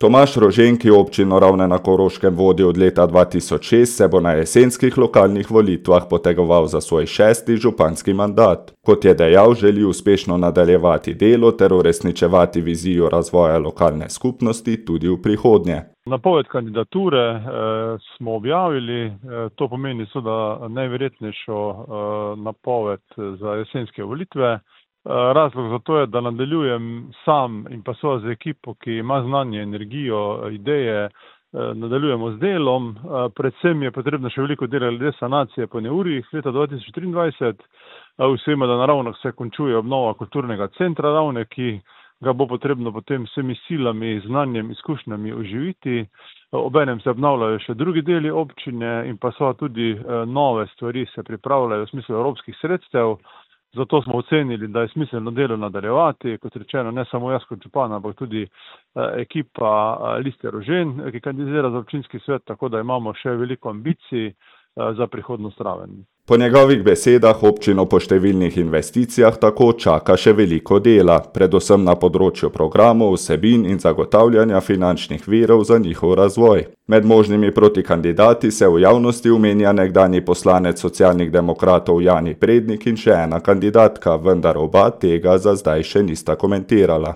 Tomaž Rožen, ki občino Ravne na Koroškem vodi od leta 2006, se bo na jesenskih lokalnih volitvah potegoval za svoj 6. županski mandat. Kot je dejal, želi uspešno nadaljevati delo ter uresničevati vizijo razvoja lokalne skupnosti tudi v prihodnje. Napoved kandidature smo objavili, to pomeni seveda najverjetnejšo napoved za jesenske volitve. Razlog za to je, da nadaljujem sam in pa seveda z ekipo, ki ima znanje, energijo, ideje, nadaljujemo z delom. Predvsem je potrebno še veliko dela glede sanacije po neurjih leta 2023. Vsema, da na Ravnah se končuje obnova kulturnega centra Ravne, ki ga bo potrebno potem vsemi silami, znanjem, izkušnjami oživiti. Obenem se obnavljajo še drugi deli občine in pa seveda tudi nove stvari se pripravljajo v smislu evropskih sredstev. Zato smo ocenili, da je smiselno delo nadaljevati, kot rečeno, ne samo jaz kot župan, ampak tudi ekipa Liste Rožen, ki kandidira za občinski svet, tako da imamo še veliko ambicij za prihodnost Raven. Po njegovih besedah občino po številnih investicijah tako čaka še veliko dela, predvsem na področju programov, vsebin in zagotavljanja finančnih virov za njihov razvoj. Med možnimi protikandidati se v javnosti omenja nekdanji poslanec Socialnih demokratov Jani Prednik in še ena kandidatka, vendar oba tega za zdaj še nista komentirala.